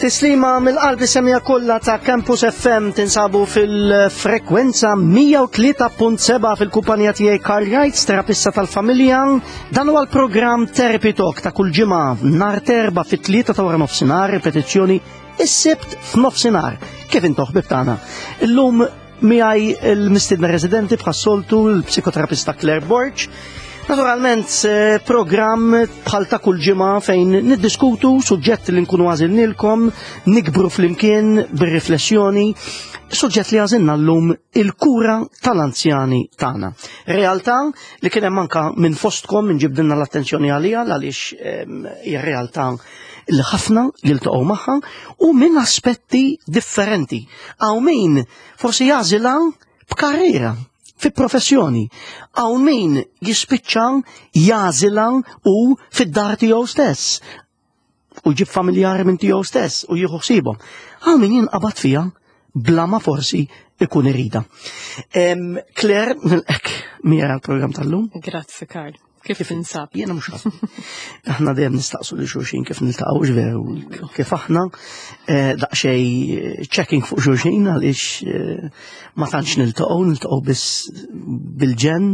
Tislima mill-qalb semija kollha ta' Campus FM tinsabu fil-frekwenza 103.7 fil-kumpanija tiegħi Karl Wrights, terapista tal-familja. Dan huwa l-programm Therapy Talk ta' kull ġimgħa nhar terba fit-tlieta ta' wara nofsinhar, ripetizzjoni is-sibt f'nofsinhar. Kif intom ħbib tagħna? Illum Miegħi l-mistiedna residenti bħas-soltu l-psikoterapista Claire Borg. Naturalment, eh, programm bħal ta' kull ġimgħa fejn niddiskutu suġġett li nkunu għażilnilkom, nikbru flimkien bir-riflessjoni, suġġett li għażilna llum il-kura tal-anzjani tagħna. Realtà li kien hemm anka minn fostkom minn ġibdilna l-attenzjoni għaliha għaliex ehm, hija realtà li ħafna jiltaqgħu magħha u minn aspetti differenti. Hawn min forsi jagħżilha b'karriera fi professjoni. Hawn min jispiċċa jagħżilha u fid-dar tiegħu stess u jġib familjari minn tiegħu stess u jieħu ħsiebhom. Hawn min jinqabad fiha bla ma forsi ikun irida. Claire, nilqek mira l-programm tal-lum. Grazzi, Karl. Kif tinsab? Jiena mhux ħażin. Aħna dejjem nistaqsu lil xulxin kif niltaqgħu veru kif aħna eh, daqsxejn eh, checking fuq xulxin għaliex eh, ma tantx niltaqgħu, niltaqgħu biss bil-ġen.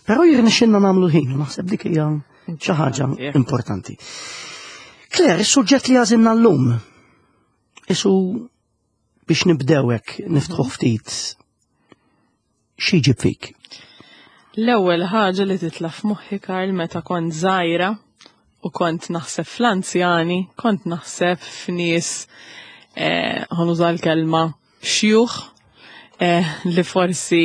Però jirnexxinna nagħmlu ħin, naħseb dik hija xi ħaġa importanti. Claire, is-suġġett li għażilna llum isu biex nibdewek niftħu ftit xi jġib fik? L-ewwel ħaġa li titla' f'moħħi Karl meta kont żgħira u kont naħseb fl-anzjani, kont naħseb f'nies eh, ħanuża l-kelma xjuħ eh, li forsi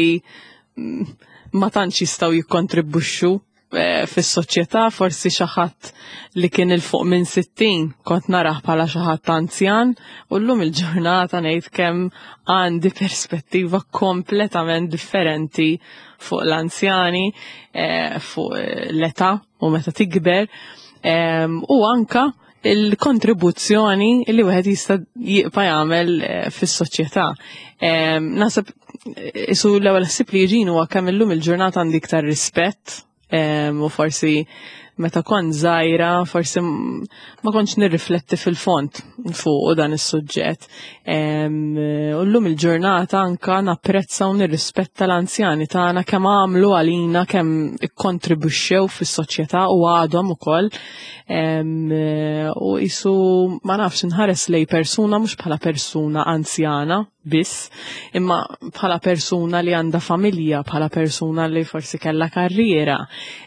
mm, ma tantx jistgħu jikkontribwixxu Eh, fis-soċjetà forsi xi ħadd li kien il fuq minn 60 kont narah bħala xi ħadd anzjan u llum il-ġurnata ngħid kemm għandi perspettiva kompletament differenti fuq l-anzjani, eh, fuq l-età u meta tikber u anka il-kontribuzzjoni li wieħed jista' jibqa' jagħmel eh, fis-soċjetà. Naħseb isu l-ewwel ħsieb li jiġini huwa kemm illum il-ġurnata għandi iktar rispett u forsi meta kont żgħira forsi ma kontx nirrifletti fil-fond fuq dan is-suġġett. U llum il-ġurnata anka napprezza u nirrispetta l-anzjani tagħna kemm għamlu għalina kemm ikkontribwixxew fis-soċjetà u għadhom ukoll. U isu ma nafx inħares lej persuna mhux bħala persuna anzjana biss, imma bħala persuna li għandha familja, bħala persuna li forsi kellha karriera,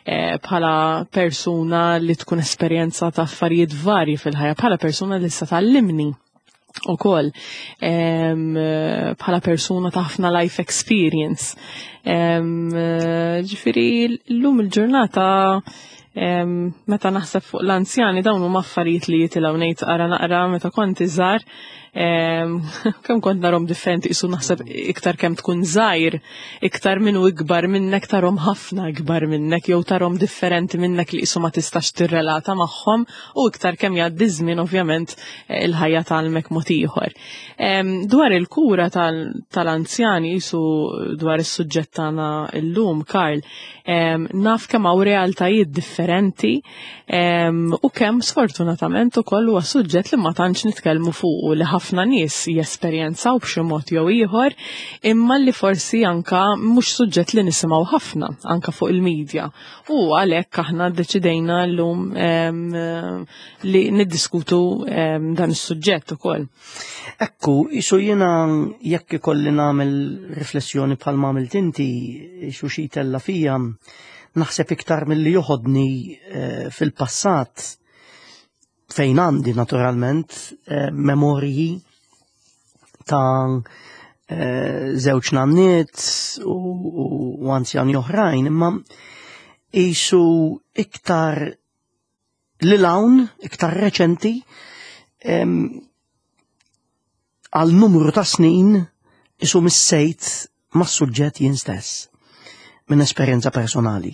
eh, bħala persuna li tkun esperjenza ta' affarijiet varji fil-ħajja, bħala persuna li sa tallimni u koll bħala persuna ta' ħafna life experience. Ġifiri, l-lum il-ġurnata meta naħseb fuq l-anzjani dawn huma affarijiet li jitilgħu ngħid ara naqra meta kont iżgħar kemm kont narhom differenti isu naħseb iktar kemm tkun żgħir, iktar minnu ikbar minnek tarhom ħafna ikbar minnek jew tarhom differenti minnek li isu ma tistax tirrelata magħhom u iktar kemm jgħaddi żmien ovvjament eh, il-ħajja tgħallmek mod ieħor. Dwar il-kura tal-anzjani jisu dwar is-suġġett tagħna llum, Karl, naf kemm hawn realtajiet differenti u kemm sfortunatament ukoll huwa suġġett li ma tantx nitkellmu fuqu li ħafna nies jesperjenzaw b'xi mod jew ieħor imma li forsi anka mhux suġġett li nisimgħu ħafna anka fuq il-medja. U għalhekk aħna ddeċidejna llum li niddiskutu dan is-suġġett ukoll. Ekku, isu jiena jekk ikolli nagħmel riflessjoni bħal ma għamilt inti, isu xi tella fija, naħseb iktar milli joħodni eh, fil-passat fejn għandi naturalment eh, memorji ta' eh, żewġ nanniet u anzjani oħrajn, imma isu iktar li lawn, iktar reċenti, għal numru ta' snin isu missejt ma' suġġett jien stess minn esperjenza personali.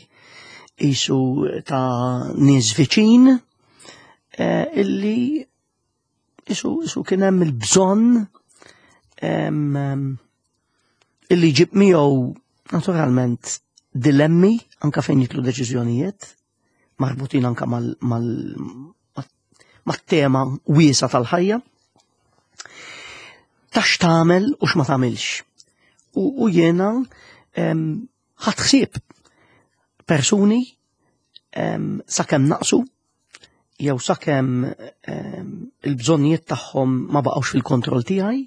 Isu ta' nies viċin eh, illi isu, isu kien hemm il-bżonn illi ġib miegħu naturalment dilemmi anka fejn jitlu deċiżjonijiet marbutin anka mal, mal mat-tema wiesa tal-ħajja. Ta' x'tagħmel u x'ma tagħmilx. U jiena ħadt ħsieb persuni sakemm naqsu jew sakemm il-bżonnijiet tagħhom ma baqgħux fil-kontroll tiegħi.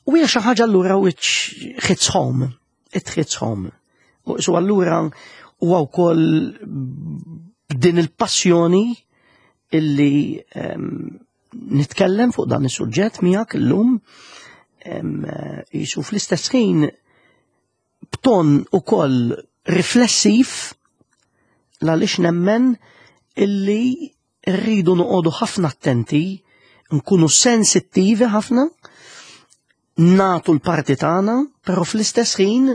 U hija xi ħaġa allura which hits home, it hits home. U so allura huwa wkoll b'din il-passjoni illi nitkellem fuq dan is-suġġett miegħek illum jisu fl-istess ħin b'ton ukoll riflessiv għaliex nemmen illi rridu noqogħdu ħafna attenti, nkunu sensittivi ħafna, nagħtu l-parti tagħna, però fl-istess ħin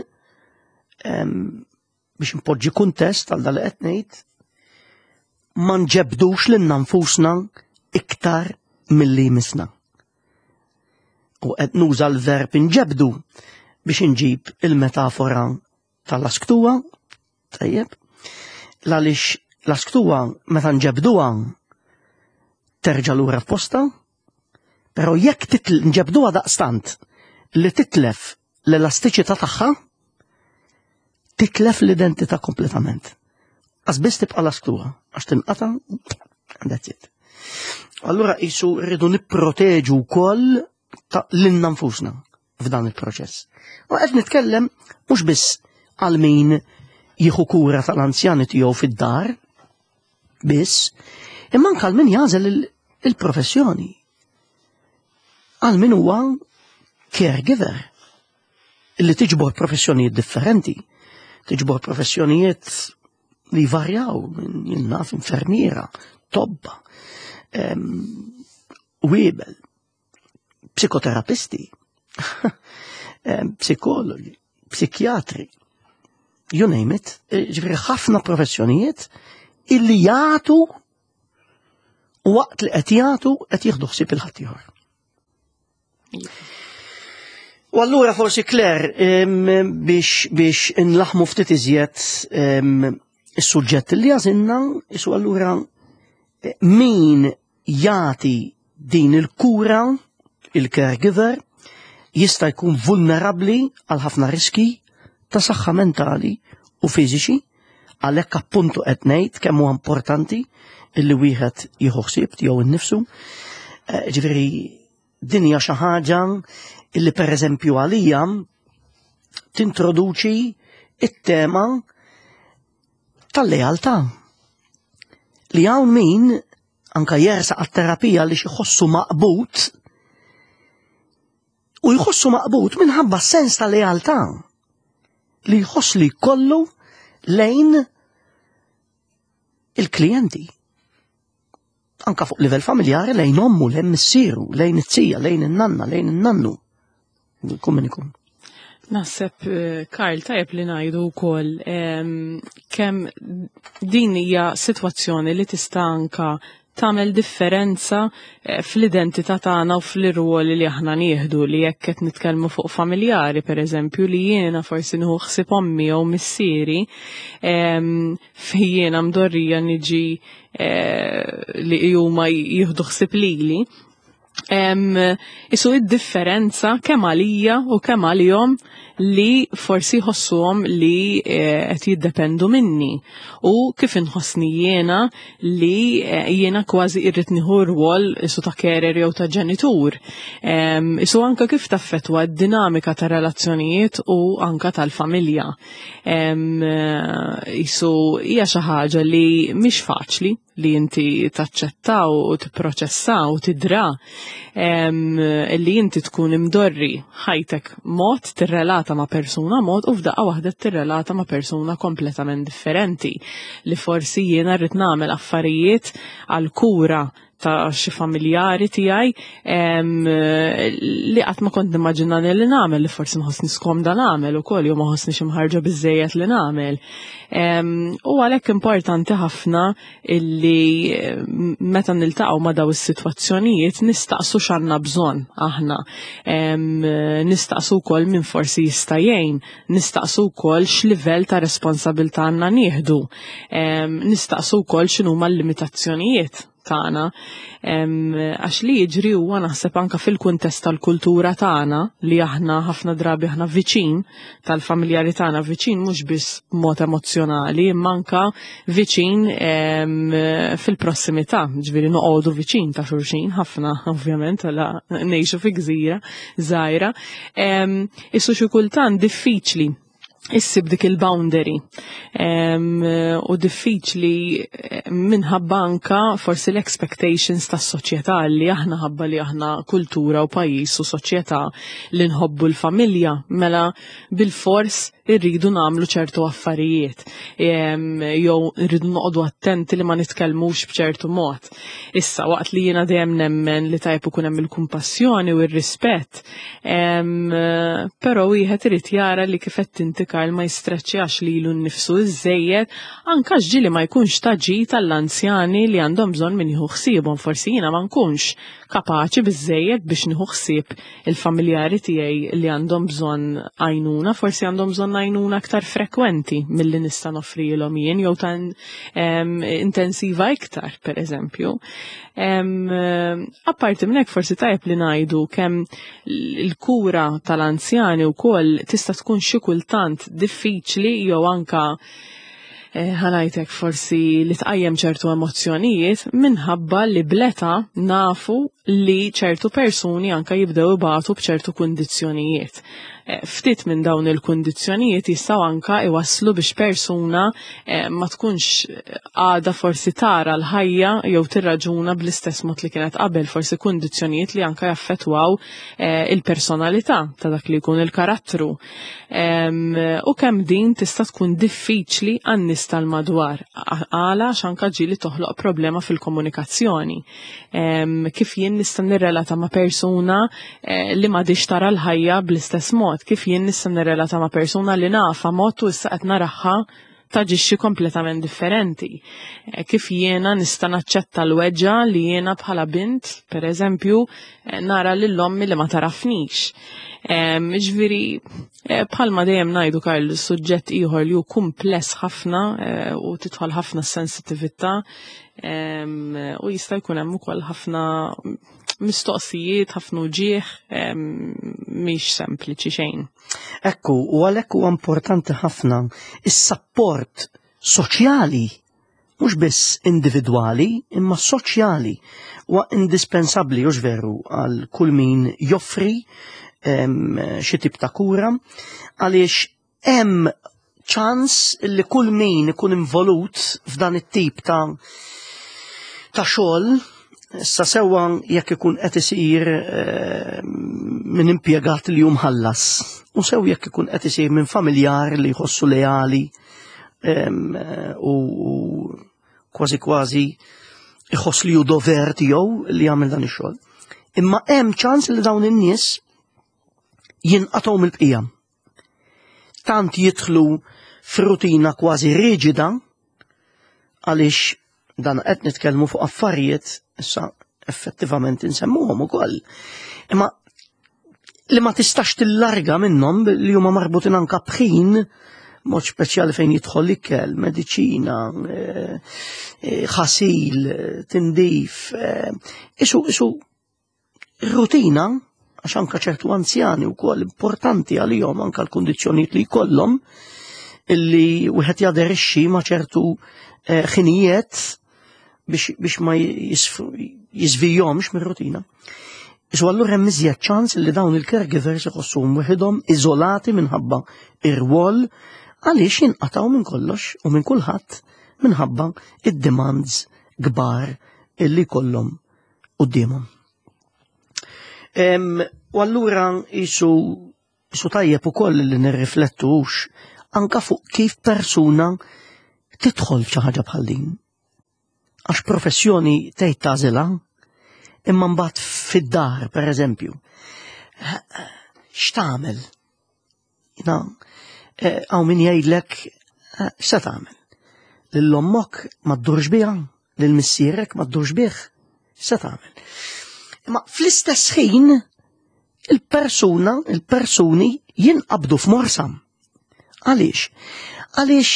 biex npoġġi kuntest għal dal qed ngħid, ma nġebdux lilna nfusna iktar milli jmissna. U qed nuża l-verb inġebdu biex inġib il-metafora tal-lasktuwa, tajjeb, għaliex lasktuwa meta nġebduha terġa' lura f'posta, però jekk nġebduha daqstant li titlef l-elastiċità tagħha, titlef l-identità kompletament. Għax biss tibqa' lasktuha, għax tinqata' and that's it. Allura jisu rridu nipproteġu wkoll lilna nfusna f'dan il-proċess. U qed nitkellem mhux biss għal min jieħu kura tal-anzjani tiegħu fid-dar, biss, imma anke għal min jagħżel il-professjoni. Għal min huwa caregiver li tiġbor professjonijiet differenti, tiġbor professjonijiet li varjaw minn jien naf infermiera, tobba, wiebel, psikoterapisti, psikologi, psikjatri, you name it, ġifieri ħafna professjonijiet illi jagħtu u waqt li qed jagħtu qed jieħdu ħsieb il-ħaddieħor. U allura forsi Claire biex inlaħmu ftit iżjed is-suġġett li għażilna, isu allura min jagħti din il-kura, il-caregiver, jista' jkun vulnerabbli għal ħafna riski ta' saħħa mentali u fiżiċi, għalhekk appuntu qed ngħid kemm huwa importanti illi wieħed jieħu ħsieb tiegħu innifsu. Ġifieri din hija xi ħaġa illi pereżempju għalija tintroduċi it-tema tal-lealtà. Li hawn min anka jersaq għat-terapija li jħossu maqbud u jħossu maqbud minħabba sens ta' lealtà li jħoss li kollu lejn il-klijenti. Anka fuq livell familjari lejn ommu, lejn missieru, lejn it-tija, lejn in-nanna, lejn in-nannu. Kum min ikun. Naħseb, Karl, tajjeb li ngħidu wkoll kemm din hija sitwazzjoni li tista' anka tagħmel differenza fl-identità tagħna u fl-irwoli li aħna nieħdu, li jekk qed nitkellmu fuq familjari, pereżempju, li jiena forsi nieħu ħsieb ommi jew missieri, fejn jiena mdorrija niġi li huma jieħdu ħsieb lili. Isu id-differenza kemm għalija u kemm għalihom li forsi jħossuhom li qed jiddependu minni u kif inħossni jiena li jiena kważi irrid nieħu rwol isu ta' carer jew ta' ġenitur. Isu anka kif taffettwa d-dinamika ta' relazzjonijiet u anka tal-familja. Isu hija xi ħaġa li mhix faċli li inti taċċetta u tipproċessa u tidra li inti tkun imdorri ħajtek mod tirrelata ma' persuna mod u f'daqqa waħda tirrelata ma' persuna kompletament differenti li forsi jiena rrid nagħmel affarijiet għal kura ta' xi familjari tiegħi li qatt ma kont nimmaġina li nagħmel li forsi nħossni skomda nagħmel ukoll jew ma ħossni mħarġa biżejjed li nagħmel. U għalhekk importanti ħafna illi meta niltaqgħu ma' daw is-sitwazzjonijiet nistaqsu x'għandna bżonn aħna. Nistaqsu wkoll min forsi jista' jgħin, nistaqsu wkoll x'livell ta' responsabilità għandna nieħdu, nistaqsu wkoll x'inhuma l-limitazzjonijiet tagħna. Għax li jiġri huwa naħseb anka fil-kuntest tal-kultura tagħna li aħna ħafna drabi aħna viċin tal-familjari tagħna, viċin mhux biss b'mod emozzjonali, imma anka viċin fil-prossimità, ġifieri noqogħdu viċin ta' xulxin ħafna ovvjament għala ngħixu fi gżira żgħira. Issu xi kultant diffiċli issib dik il-boundary u diffiċli minħabba anka forsi l-expectations tas soċjetà li aħna ħabba li aħna kultura u pajjiż u soċjetà li nħobbu l-familja mela bil-fors irridu nagħmlu ċertu affarijiet jew irridu noqogħdu attenti li ma nitkellmux b'ċertu mod. Issa waqt li jiena dejjem nemmen li tajb ikun hemm il-kumpassjoni u r-rispett, però wieħed irid jara li kif qed inti Karl ma jistreċċjax lilu nnifsu iżejjed anke ġieli ma jkunx ta' ġid għall-anzjani li għandhom bżonn min jieħu ħsiebhom. Forsi jiena ma nkunx kapaċi biżejjed biex nieħu ħsieb il-familjari tiegħi li għandhom bżonn għajnuna, forsi għandhom bżonn għajnuna aktar frekwenti milli nista' noffrilhom jien jew ta' intensiva iktar, per eżempju. Apparti minn hekk forsi tajjeb li ngħidu kemm il-kura tal-anzjani wkoll tista' tkun xi kultant diffiċli jew anka ħanajtek forsi li tqajjem ċertu emozzjonijiet minħabba li bleta nafu li ċertu persuni anka jibdew ibatu b'ċertu kundizzjonijiet. Ftit minn dawn il-kundizzjonijiet jistgħu anka iwasslu biex persuna ma tkunx għada forsi tara l-ħajja jew tirraġuna bl-istess mod li kienet qabel, forsi kundizzjonijiet li anka jaffettwaw il-personalità ta' dak li jkun il-karattru. U kemm din tista' tkun diffiċli għan-nies tal-madwar, għala għax anka ġieli toħloq problema fil-komunikazzjoni. Kif jien nista' nirrelata ma' persuna li m'għadix tara l-ħajja bl-istess mod, kif jien nista' nirrelata ma' persuna li nafa mod u issa qed naraħħa taġixxi kompletament differenti. Kif jiena nista' naċċetta l-weġġa li jiena bħala bint, per eżempju, nara lil ommi li ma tarafnix. Ġifieri, bħalma dejjem ngħidu Karl, suġġett ieħor li hu kumpless ħafna u tidħol ħafna sensitività, u jista' jkun hemm ukoll ħafna mistoqsijiet, ħafna uġieħ, mhix sempliċi xejn. Ekku, u għalhekk huwa importanti ħafna is-sapport soċjali, mhux biss individwali, imma soċjali, huwa indispensabbli, hux veru, għal kull min joffri xi tip ta' kura, għaliex hemm ċans li kull min ikun involut f'dan it-tip ta' xogħol, issa sewwa jekk ikun qed isir minn impjegat li hu mħallas, u sew jekk ikun qed isir minn familjar li jħossu leali u kważi kważi jħoss li hu dover tiegħu li jagħmel dan ix-xogħol. Imma hemm ċans li dawn in-nies jinqatgħu mill-bqija. Tant jidħlu f'rutina kważi riġida għaliex dan qed nitkellmu fuq affarijiet issa effettivament insemmuhom ukoll. Imma li ma tistax tillarga minnhom li huma marbutin anka b'ħin mod speċjali fejn jidħol ikel, mediċina, ħasil, tindif, isu rutina, għax anka ċertu anzjani wkoll importanti għalihom anka l-kundizzjonijiet li jkollhom illi wieħed jaderixxi ma' ċertu ħinijiet biex ma jisvijomx mir-rutina. Isu allura hemm iżjed ċans li dawn il-caregivers iħossuhom waħedhom iżolati minħabba ir-rwol għaliex jinqatgħu minn kollox u minn kulħadd minħabba id-demands kbar illi jkollhom quddiemhom. U allura jisu tajjeb ukoll li nirriflettux anka fuq kif persuna tidħol f'xi ħaġa bħal din. Għax professjoni tgħid tagħżilha. Imma mbagħad fid-dar, per eżempju, x'tagħmel? Na, eh, hawn min jgħidlek eh, x'se tagħmel? Lil ommok ma ddurx biha, lil missierek ma ddurx bih, x'se tagħmel? Imma fl-istess ħin il-persuna, il-persuni jinqabdu f'morsam. Għaliex? Għaliex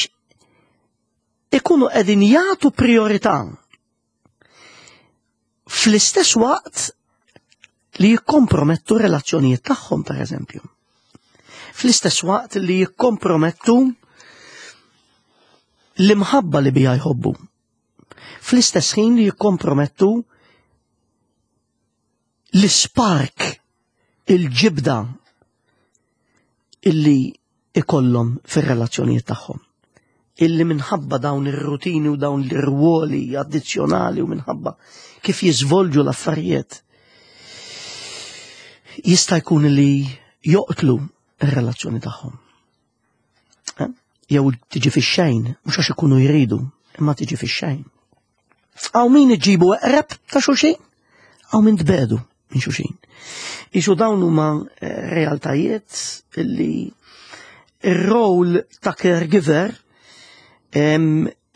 ikunu qegħdin jagħtu priorità fl-istess waqt li jikkompromettu relazzjonijiet tagħhom per eżempju. Fl-istess waqt li jikkompromettu l-imħabba li bija jħobbu. Fl-istess ħin li jikkompromettu l-ispark, il-ġibda illi ikollhom fir-relazzjonijiet tagħhom. Illi minħabba dawn ir-rutini u dawn l-irwoli addizzjonali u minħabba kif jiżvolġu l-affarijiet jista' jkun li joqtlu r-relazzjoni tagħhom. Eh? Jew tiġi fix-xejn, mhux għax ikunu jridu, imma tiġi fix-xejn. Għaw min iġibu eqreb ta' xulxin, għaw min tbedu minn xulxin. Isu dawn huma eh, realtajiet li ir-rol ta' caregiver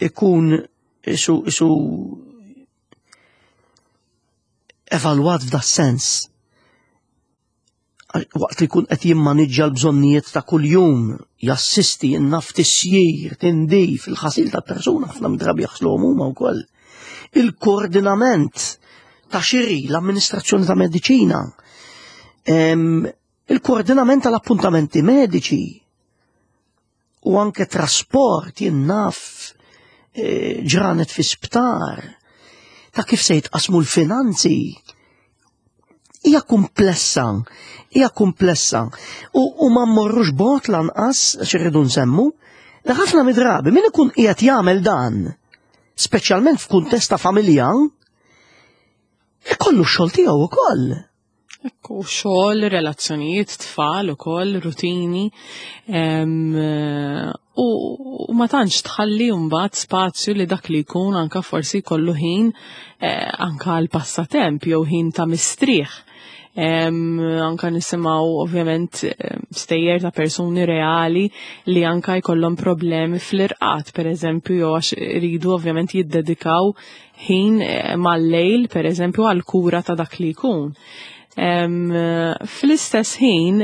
ikun isu isu evalwat f'da sens waqt li jkun qed jimmaniġġja l-bżonnijiet ta' kuljum, jassisti n-naf tisjir, tindif, il-ħasil ta' persuna ħafna drabi jaħsluhom huma wkoll. Il-koordinament ta' xiri, l-amministrazzjoni ta' mediċina, il-koordinament tal-appuntamenti mediċi, u anke trasport jien naf e, ġranet fi sptar ta' kif se jitqasmu l-finanzi hija komplessa, hija komplessa. U, u ma mmorrux bot lanqas għax irridu nsemmu, li ħafna midrabi min ikun qiegħed jagħmel dan, speċjalment f'kuntest ta' familja, ikollu x-xogħol tiegħu ukoll. Ekku, xogħol, relazzjonijiet, tfal ukoll, rutini. U, u ma tantx tħalli mbagħad spazju li dak li jkun anka forsi jkollu ħin eh, anka għal passatemp jew ħin ta' mistrieħ. Anka nisimgħu ovvjament stejjer ta' persuni reali li anka jkollhom problemi fl-irqat, per eżempju, jew għax iridu ovvjament jiddedikaw ħin eh, mal-lejl, per eżempju, għal kura ta' dak li jkun. Fl-istess ħin,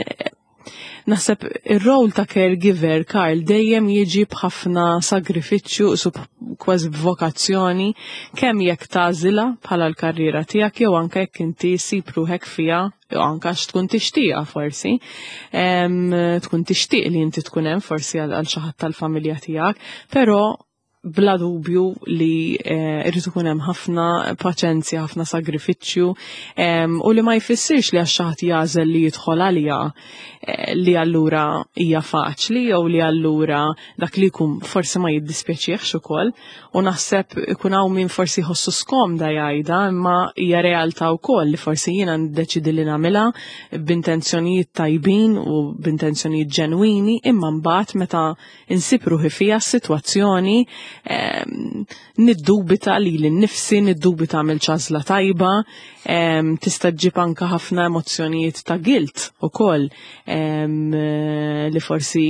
naħseb ir-rol ta' caregiver, Karl, dejjem jiġi b'ħafna sagrifiċċju, su kważi b'vokazzjoni, kemm jekk tagħżilha bħala l-karriera tiegħek jew anke jekk inti ssib ruħek fiha jew anke għax tkun tixtieqha forsi, tkun tixtieq li inti tkun hemm forsi għal xi ħadd tal-familja tiegħek, però bla dubju li eh, irrid ikun hemm ħafna paċenzja, ħafna sagrifiċċju u li ma jfissirx li għax xi ħadd jagħżel li jidħol għaliha eh, li allura hija faċli jew li allura dak li jkun forsi ma jiddispjaċihx ukoll u naħseb ikun hawn min forsi jħossu skomda jgħidha imma hija realtà wkoll li forsi jiena niddeċidi li nagħmilha b'intenzjonijiet tajbin u b'intenzjonijiet ġenwini imma mbagħad meta insib ruħi fija s-sitwazzjoni ehm, niddubita li l-nifsi, niddubita għamil ċażla tajba, ehm, tista' ġib anka ħafna emozzjonijiet ta' guilt ukoll ehm, li forsi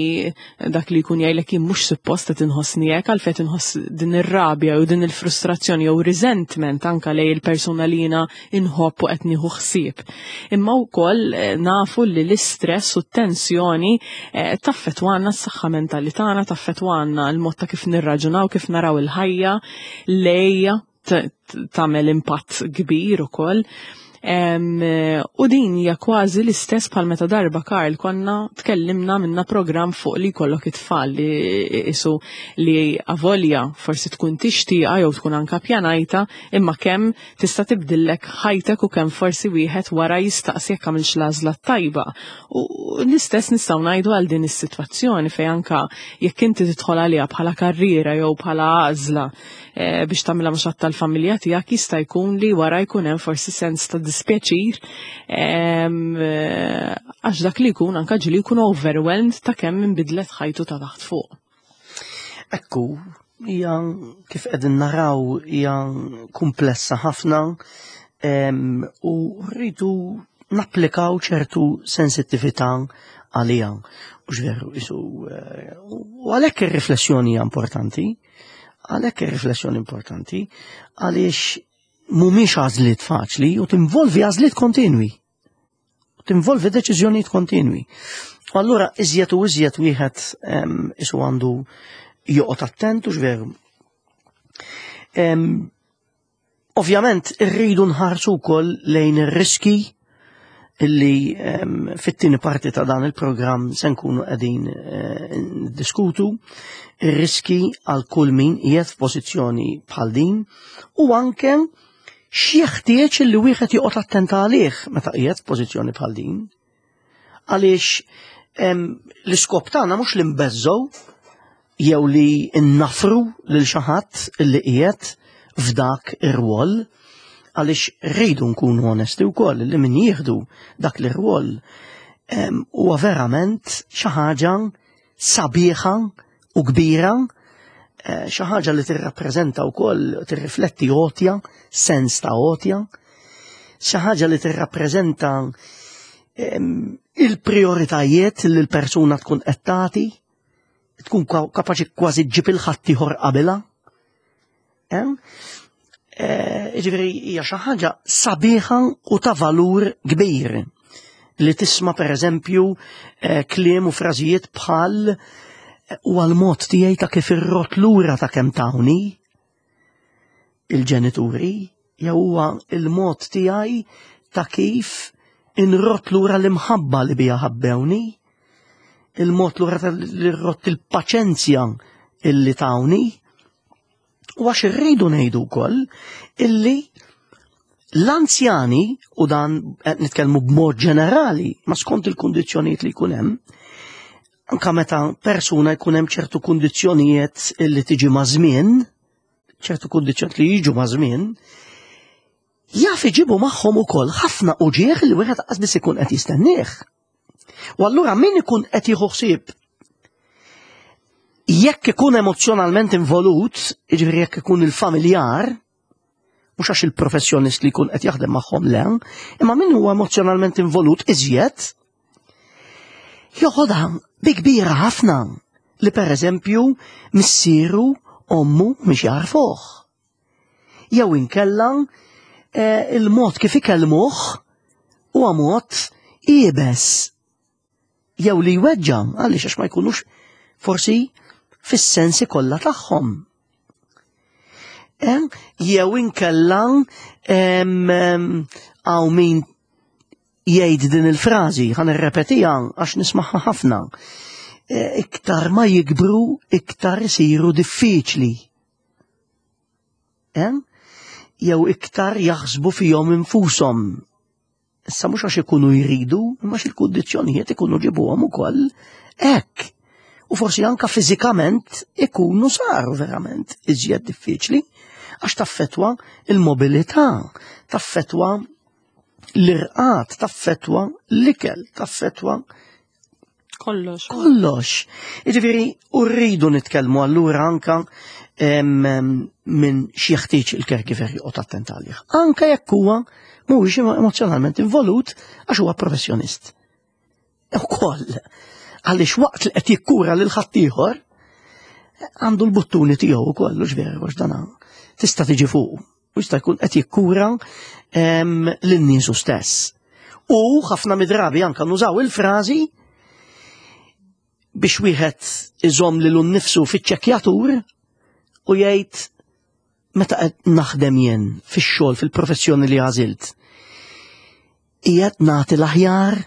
dak li jkun jgħidlek jien mhux suppost qed inħossni hekk għalfejn inħoss din ir-rabja jew din il-frustrazzjoni jew resentment anka lej il-persuna li jiena inħobb u qed nieħu ħsieb. Imma wkoll eh, nafu li l-istress u t-tensjoni eh, taffetwana s-saħħa mentali tagħna, taffetwana l-mod ta' kif nirraġunaw, kif naraw il-ħajja, lejja tagħmel impatt kbir ukoll. U din hija kważi l-istess bħal meta darba Karl konna tkellimna minna programm fuq li jkollok it-tfal li isu li avolja forsi tkun tixtieqa jew tkun anka pjanajta imma kemm tista' tibdillek ħajtek u kemm forsi wieħed wara jistaqsi jekk għamilx l-għażla t-tajba. U l-istess nistgħu ngħidu għal din is-sitwazzjoni fejn anka jekk inti tidħol għaliha bħala karriera jew bħala għażla eh, biex tagħmilha ma' xatt tal-familja tiegħek jista' jkun li wara jkun hemm forsi sens ta' dispjaċir ehm, eh, għax dak li jkun anka ġili jkun overwhelmed ta' kemm inbidlet ħajtu ta' taħt fuq. Ekku, hija kif qegħdin naraw hija kumplessa ħafna. U rridu napplikaw ċertu sensittività għalija. U ġveru, isu, eh, u għalhekk ir-riflessjoni hija importanti, għalhekk ir-riflessjoni importanti, għaliex mhumiex għażliet faċli u tinvolvi għażliet kontinwi. U tinvolvi deċiżjonijiet kontinwi. U allura iżjed u iżjed wieħed isu għandu joqgħod attent u x'veru. Ovvjament irridu nħarsu wkoll lejn ir-riski illi fit-tieni parti ta' dan il-programm se nkunu qegħdin eh, diskutu ir-riski għal kull min qiegħed f'pożizzjoni bħal din u anke x'jeħtieġ illi wieħed joqgħod attent għalih meta qiegħed f'pożizzjoni bħal din. Għaliex l-iskop tagħna mhux li nbeżżgħu jew li nnafru lil xi ħadd li qiegħed f'dak ir-rwol għaliex rridu nkunu onesti wkoll li min jieħdu dak l-irwol huwa verament xi ħaġa sabiħa u kbira, eh, xi ħaġa li tirrappreżenta wkoll tirrifletti għotja, sens ta' għotja, xi ħaġa li tirrappreżenta il-prioritajiet li l-persuna tkun qed tagħti, tkun kapaċi kważi ġġib il-ħaddieħor qabilha. Eh, jiġifieri hija xi ħaġa sabiħa u ta' valur kbir li tisma' pereżempju eh, kliem u frażijiet bħal eh, u għal-mod tiegħi ta' kif irrot lura ta' kemm tawni il-ġenituri jew huwa il-mod tiegħi ta' kif inrot lura l-imħabba li bija ħabbewni, il-mod lura li rrot il-paċenzja illi tawni. U għax irridu ngħidu wkoll illi l-anzjani, u dan qed nitkellmu b'mod ġenerali, ma skont il-kundizzjonijiet li jkun hemm, anka meta persuna jkun hemm ċertu kundizzjonijiet illi tiġi ma' żmien, ċertu kundizzjonijiet li jiġu ma' żmien, jaf iġibu magħhom ukoll ħafna uġieħ li wieħed qas biss ikun qed jistennieh. U allura min ikun qed jieħu ħsieb jekk ikun emozjonalment involut, jiġifieri jekk ikun il-familjar, mhux għax il-professjonist li jkun qed jaħdem magħhom le, imma min huwa emozjonalment involut iżjed, joħodha bi kbira ħafna li pereżempju missieru ommu mhix jarfuh. Jew inkella eh, il-mod kif ikellmuh huwa mod iebes jew li jweġġa' għaliex għax ma jkunux forsi fis-sensi kollha tagħhom. Eh, jew inkella hawn min jgħid din il-frażi, ħan irrepetiha għax nismaħħa ħafna. Eh, iktar ma jikbru, iktar isiru diffiċli. Eh? Jew iktar jaħsbu fihom infushom. Issa mhux għax ikunu jridu, imma il-kundizzjonijiet ikunu ġibuhom ukoll hekk. U forsi anka fiżikament ikunu saru verament iżjed diffiċli għax taffetwa il-mobilità, taffetwa l-irqat, taffetwa l-ikel, taffetwa Kollox. Kollox. Jiġifieri u rridu nitkellmu allura anka minn xi jeħtieġ il-caregiver joqgħod attent għalih. Anka jekk huwa mhuwiex emozjonalment involut għax huwa professjonist. Ukoll għaliex waqt li qed jikkura lil ħaddieħor għandu l-buttuni tiegħu ukoll u ġveru għax dan tista' tiġi fuq u jista' jkun qed jikkura lin-niesu stess. U ħafna midrabi anka nużaw il-frażi biex wieħed iżomm lilu nnifsu fiċ-ċekkjatur u jgħid meta qed naħdem jien fix-xogħol fil-professjoni li għażilt. Qiegħed nagħti l-aħjar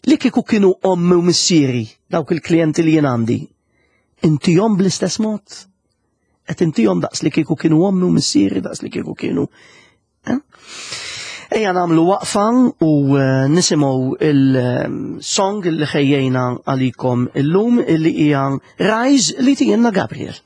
li kieku kienu ommi u missieri dawk il-klijenti li jien għandi. Intihom bl-istess mod? Qed intihom daqs li kieku kienu ommi u missieri daqs li kieku kienu. Eh? Ejja nagħmlu waqfa u eh, nisimgħu il-song li ħejjejna għalikom illum illi hija Rise li tijenna Gabriel.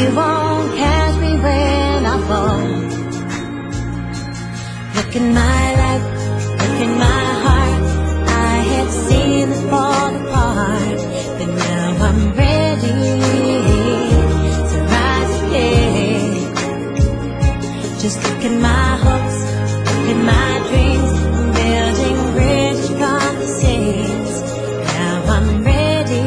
You won't catch me when I fall. Look in my life, look in my heart. I have seen it fall apart, but now I'm ready to rise again. Just look at my hopes, look at my dreams. I'm building bridges from the seas. Now I'm ready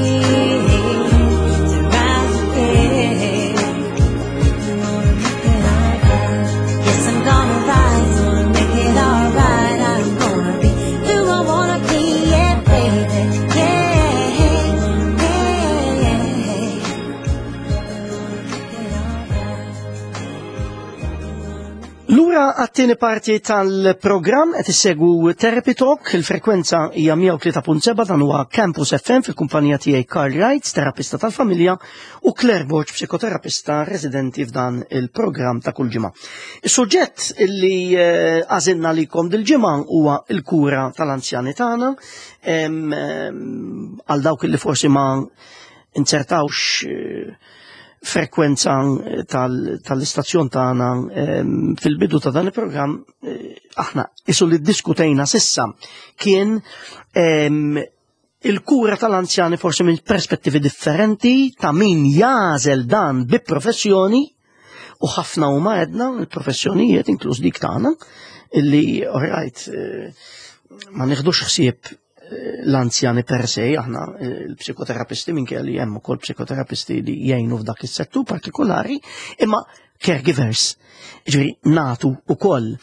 to rise again. I'm gonna make it alright. Yes, I'm gonna rise, gonna make it alright. I'm gonna be who I wanna be, yeah, baby, yeah. Gonna make it alright. Lura għat-tieni parti tal-programm qed issegwu Therapy Talk, il-frekwenza hija 103.7, dan huwa Campus FM fil-kumpanija tiegħi Karl Wright, terapista tal-familja, u Claire Borg, psikoterapista residenti f'dan il-programm ta' kull ġimgħa. Is-suġġett illi għażilna likom dil-ġimgħa huwa l-kura tal-anzjani tagħna, għal dawk illi forsi ma inzertawx frekwenza tal-istazzjon tagħna fil-bidu ta' dan il-programm, aħna isu li ddiskutejna sissa kien il-kura tal-anzjani forsi minn perspettivi differenti ta' min jagħżel dan bi professjoni, u ħafna huma għedna il-professjonijiet inkluż dik tagħna illi alright, ma nieħdux ħsieb l-anzjani per se, aħna l-psikoterapisti, minkejja li hemm ukoll psikoterapisti li jgħinu f'dak is-settur partikolari, imma caregivers, ġifieri natu ukoll.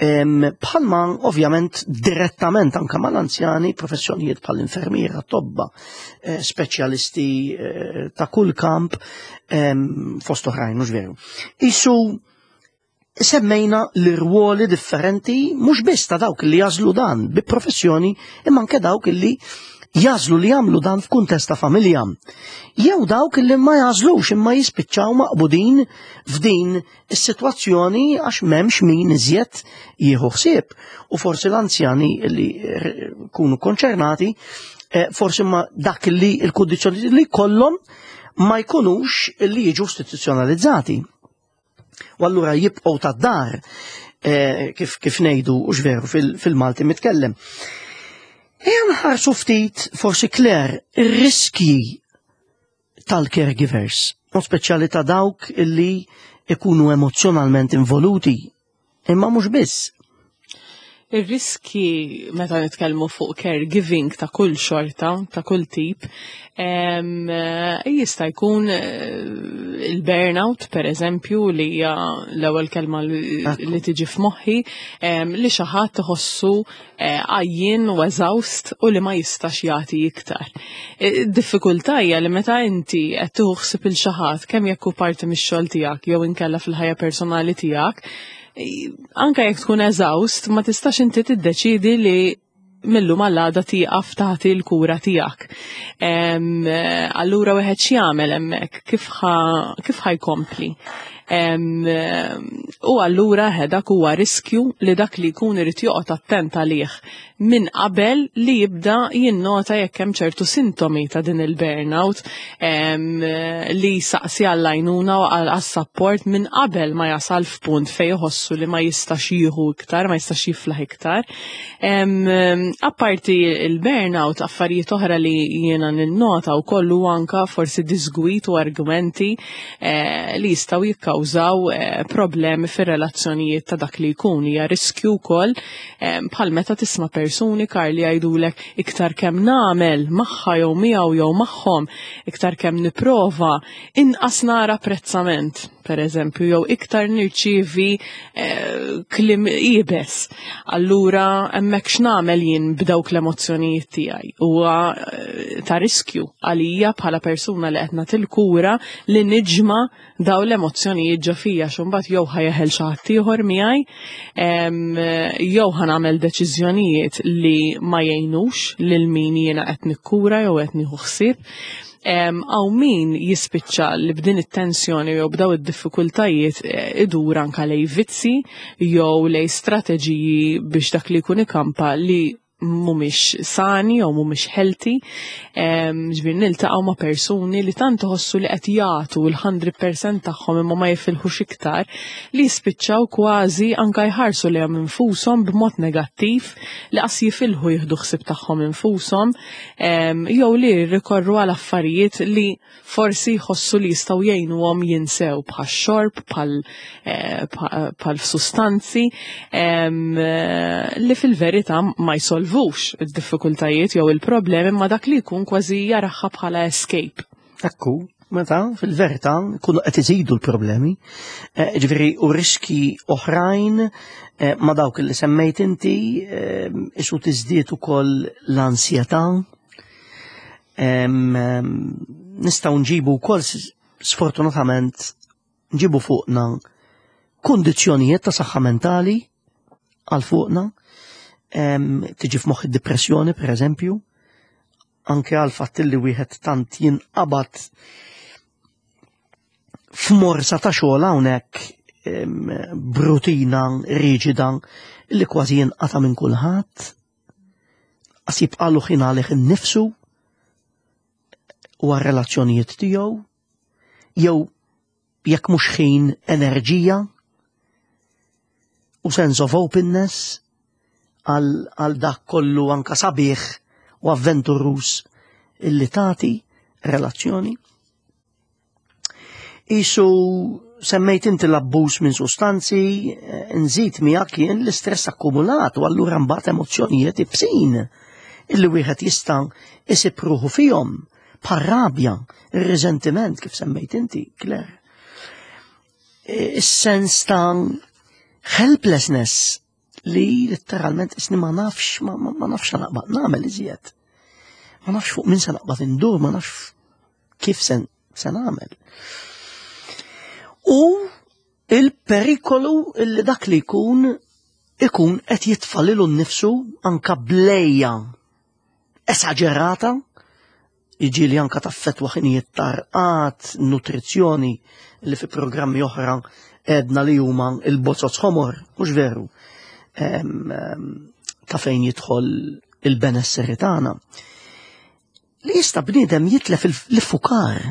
Bħalma ovvjament direttament anka mal-anzjani professjonijiet bħall-infermiera, tobba, speċjalisti ta' kull kamp, fost oħrajn, mhux veru. Isu semmejna l-irwoli differenti mhux biss ta' dawk li jażlu dan bi professjoni, imma anke dawk li jażlu li jagħmlu dan f'kuntest ta' familja. Jew dawk li ma jażlux imma jispiċċaw maqbudin f'din is-sitwazzjoni għax m'hemmx min iżjed jieħu ħsieb. U forsi l-anzjani li kunu konċernati, forsi ma dak li l-kundizzjoni li kollhom ma jkunux li jiġu istituzzjonalizzati. U allura jibqgħu tad-dar, kif ngħidu u veru fil-Malti mitkellem. Ejja nħarsu ftit forsi Claire ir-riskji tal-caregivers, u speċjali ta' dawk illi ikunu emozjonalment involuti, imma mhux biss. Ir-riski meta nitkellmu fuq caregiving ta' kull xorta, ta' kull tip, jista' jkun il-burnout, per eżempju, li hija l-ewwel kelma li tiġi f'moħħi, li xi ħadd iħossu għajjien u eżawst u li ma jistax jagħti iktar. Id-diffikultà hija li meta inti qed tieħu ħsieb il xi ħadd, kemm jekk hu parti mix-xogħol tiegħek jew inkella fil-ħajja personali tiegħek, anka jekk tkun eżawst, ma tistax inti tiddeċidi li millu mal-għada tieqaf tagħti l-kura tiegħek. Allura wieħed x'jagħmel hemmhekk, kif ħa jkompli? U allura dak huwa riskju li dak li jkun irid joqgħod attent għalih minn qabel li jibda jinnota jekk hemm ċertu sintomi ta' din il-burnout, li saqsi għall-għajnuna u għas-support minn qabel ma jasal f'punt fejn iħossu li ma jistax jieħu iktar, ma jistax jiflaħ iktar. Apparti il-burnout, affarijiet oħra li jiena ninnota u kollu anka forsi disgwit u argumenti li jistgħu jikkawżaw problemi fir-relazzjonijiet ta' dak li jkun. Hija riskju wkoll bħal meta tisma' persuni, Karl, li jgħidulek iktar kemm nagħmel magħha jew miegħu jew magħhom, iktar kemm nipprova, inqas nara apprezzament, per eżempju, jew iktar nirċievi kliem iebes. Allura hemmhekk x'nagħmel jien b'dawk l-emozzjonijiet tiegħi? Huwa ta' riskju għalija bħala persuna li qed nagħti l-kura li niġma' daw l-emozzjonijiet ġo fija, għax imbagħad jew ħa jeħel xi ħadd ieħor miegħi, jew ħa nagħmel deċiżjonijiet li ma jgħinux lil min jiena qed nikkura jew qed nieħu ħsieb. Għaw min jispiċċa li b'din it-tensjoni jew b'daw id-diffikultajiet idur anka lej vizzi jew lej strateġiji biex dak li jkun ikampa li Mhumiex sani jew mhumiex healthy, ġifieri niltaqgħu ma' persuni li tant iħossu li qed jagħtu l-100% tagħhom imma ma jifilħux iktar li jispiċċaw kważi anka jħarsu lejhom infushom b'mod negattiv li qas jifilħu jieħdu ħsieb tagħhom infushom jew li jirrikorru għal affarijiet li forsi jħossu li jistgħu jgħinuhom jinsew bħax-xorb, eh, bħal sustanzi eh, li fil-verità ma jsolvux id-diffikultajiet jew il-problemi ma dak li jkun kważi jaraħħa bħala escape. Ekku, meta fil-verità kunu qed iżidu l-problemi, eh, ġifieri u riski oħrajn ma dawk li semmejt inti isu tiżdied ukoll l-ansjetà Nistgħu nġibu wkoll sfortunatament nġibu fuqna kundizzjonijiet ta' saħħa mentali għal fuqna, tiġi f'moħħ id-depressjoni per eżempju, anke għal fatt li wieħed tant jinqabad f'morsa ta' xogħol hawnhekk brutina riġida li kważi jinqata' minn kulħadd. Qas jibqalu ħin għalih innifsu u għar-relazzjonijiet tiegħu jew jekk mhux ħin enerġija u sense of openness għal dak kollu anka sabiħ u avventurus illi tagħti relazzjoni. Isu semmejt inti l-abbuż minn sustanzi, eh, nżid miegħek jien l-istress akkumulat u allura mbagħad emozzjonijiet ibsin illi wieħed jista' isib ruħu fihom bħal rabja, ir-riżentiment kif semmejt inti, Claire. Eh, is-sens ta' helplessness li letteralment isni ma nafx, ma, ma, ma nafx naqbad nagħmel iżjed. Ma nafx fuq min se naqbad indur, ma nafx kif se, se nagħmel. U il-perikolu li dak li jkun ikun qed jitfa' lilu nnifsu anka blejja esaġerata Jiġieli anka taffettwa ħinijiet ta' rqad, nutrizzjoni li fi programmi oħra għedna li huma il-bozoz ħomor, mhux veru, ta' fejn jidħol il-benesseri tagħna. Li jista' bniedem jitlef l-iffukar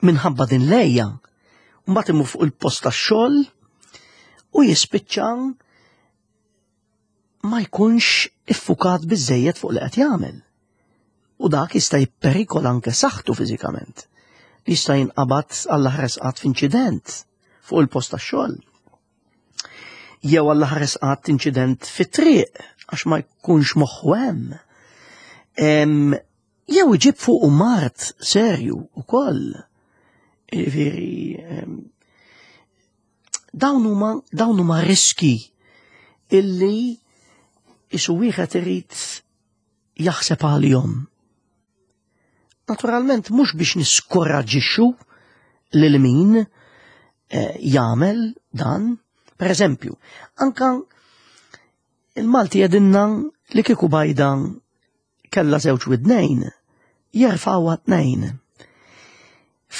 minħabba din lejja, mbagħad imur fuq il-post tax-xogħol u jispiċċa ma jkunx iffukat biżejjed fuq li qed jagħmel. U dak jista' jipperikola anke saħħtu fiżikament. Jista' jinqabad għall ħares qatt f'inċident fuq il-post tax-xogħol. Jew għall ħares qatt inċident fit-triq għax ma jkunx moħħu hemm. Jew iġib fuqu mard serju ukoll. Jiġifieri dawn huma dawn huma riski illi isu wieħed irid jaħseb għalihom. Naturalment mhux biex niskoraġġixxu lil min eh, jagħmel dan, per eżempju, anka il-Malti jedinna li kieku bajda kellha żewġ widnejn, jerfgħuha tnejn.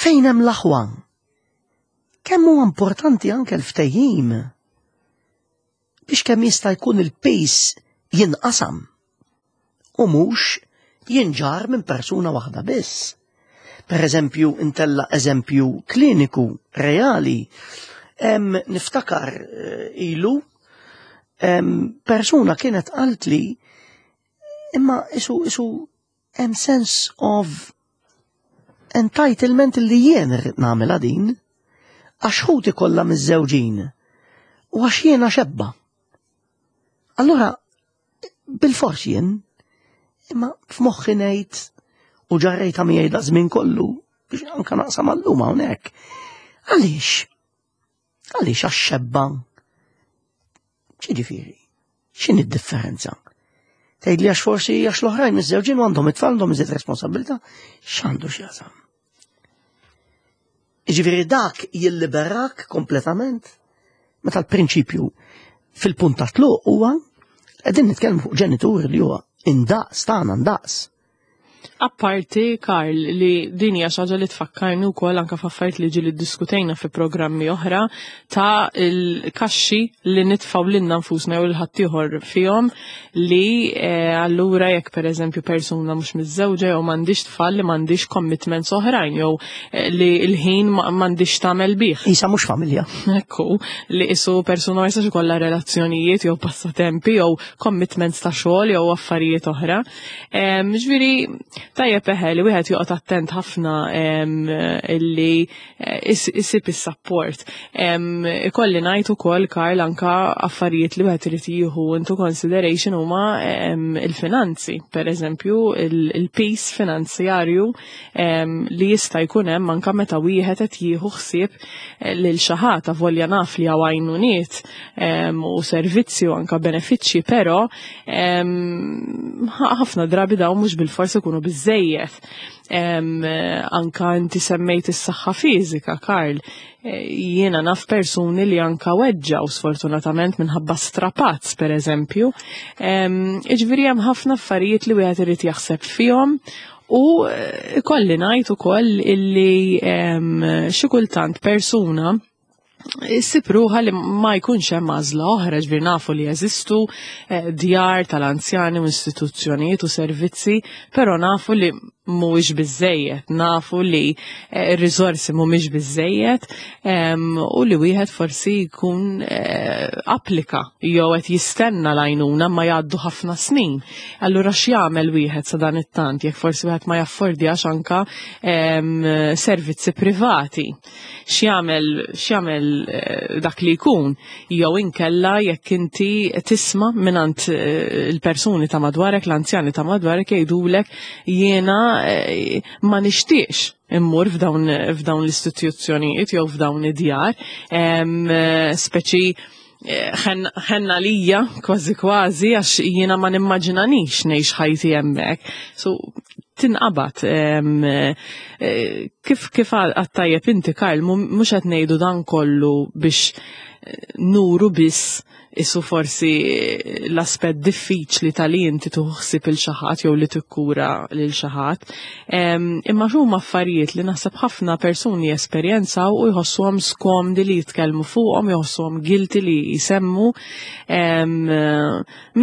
Fejn hemm l-aħwa? Kemm huwa importanti anke l-ftehim biex kemm jista' jkun il-pejs jinqasam u mhux jinġar minn persuna waħda biss. Per eżempju, intella eżempju kliniku reali, niftakar eh, ilu persuna kienet qalt li Imma isu isu hemm sense of entitlement li jien irrid nagħmilha din għax ħuti kollha miż-żewġin u għax jiena xebba. Allura bil-fors jien imma f'moħħi ngħid u ġarrejta miegħi da żmien kollu biex anka naqsam għallum hawnhekk. Għaliex? Għaliex għax xebba? Ġifieri, x'inhi d-differenza? Tgħidli għax forsi għax l-oħrajn miż-żewġin għandhom it-tfal għandhom iżjed responsabilità, x'għandu x'jaqsam? Jiġifieri dak jilliberak kompletament meta l-prinċipju fil-punt ta' tluq huwa qegħdin nitkellmu fuq ġenituri li huwa indaqs tagħna ndaqs. Apparti, Karl, li din hija xi ħaġa li tfakkarni wkoll anke f'affarijiet li ġieli ddiskutejna fi programmi oħra ta' il-kaxxi li nitfgħu lilna nfusna jew lil ħaddieħor fihom li eh, allura jekk pereżempju persuna mhux miżżewġa jew m'għandix tfal li m'għandix commitments oħrajn jew eh, li l-ħin m'għandix tagħmel bih. Isa mhux familja. Ekku, li isu persuna ma jistax ikollha relazzjonijiet jew passatempi jew commitments ta' xogħol jew affarijiet oħra. Ġifieri tajjeb eħe li wieħed joqgħod attent ħafna illi eh, isib is-support. Ikolli ngħid ukoll Karl anka affarijiet li wieħed irid jieħu into consideration huma il-finanzi, per eżempju il-peace finanzjarju li jista' jkun hemm anka meta wieħed qed jieħu ħsieb eh, lil xi ħadd avolja naf li hawn għajnuniet u servizzi u anka benefiċċji, però ħafna drabi dawn mhux bil-fors ikunu biżejjed. Anka inti semmejt is-saħħa fiżika, Karl. E, jiena naf persuni li anka weġġaw sfortunatament minħabba strapazz per eżempju. Iġviri hemm ħafna affarijiet li wieħed irid jaħseb fihom u e, kolli ngħid ukoll illi xi kultant persuna issib ruħha li ma jkunx hemm għażla oħra, ġbir nafu li jeżistu eh, djar tal-anzjani u istituzzjonijiet u servizzi, però nafu li mhuwiex biżejjed, nafu li eh, r-riżorsi mhumiex biżejjed u li wieħed forsi jkun eh, applika jew qed jistenna l-għajnuna ma jgħaddu ħafna snin. Allura x'jagħmel wieħed sa dan it-tant jekk forsi wieħed ma jaffordjax anka servizzi privati. X'jagħmel x'jagħmel eh, dak li jkun jew inkella jekk inti tisma' mingħand eh, il-persuni ta' madwarek, l-anzjani ta' madwarek jgħidulek jiena eh, ma nixtieqx immur f'dawn f'dawn l-istituzzjonijiet jew f'dawn id-djar, speċi ħenna lija kważi kważi għax jiena ma nimmaġinanix ngħix ħajti hemmhekk. So tinqabad eh, kif kif għattajjeb inti Karl mhux qed ngħidu dan kollu biex eh, nuru biss isu forsi l-aspett diffiċli ta' li inti tuħsib il xi ħadd jew li tikkura lil xi ħadd. Imma huma affarijiet li naħseb ħafna persuni jesperjenzaw u jħossuhom skomdi li jitkellmu fuqhom, jħossuhom guilty li jsemmu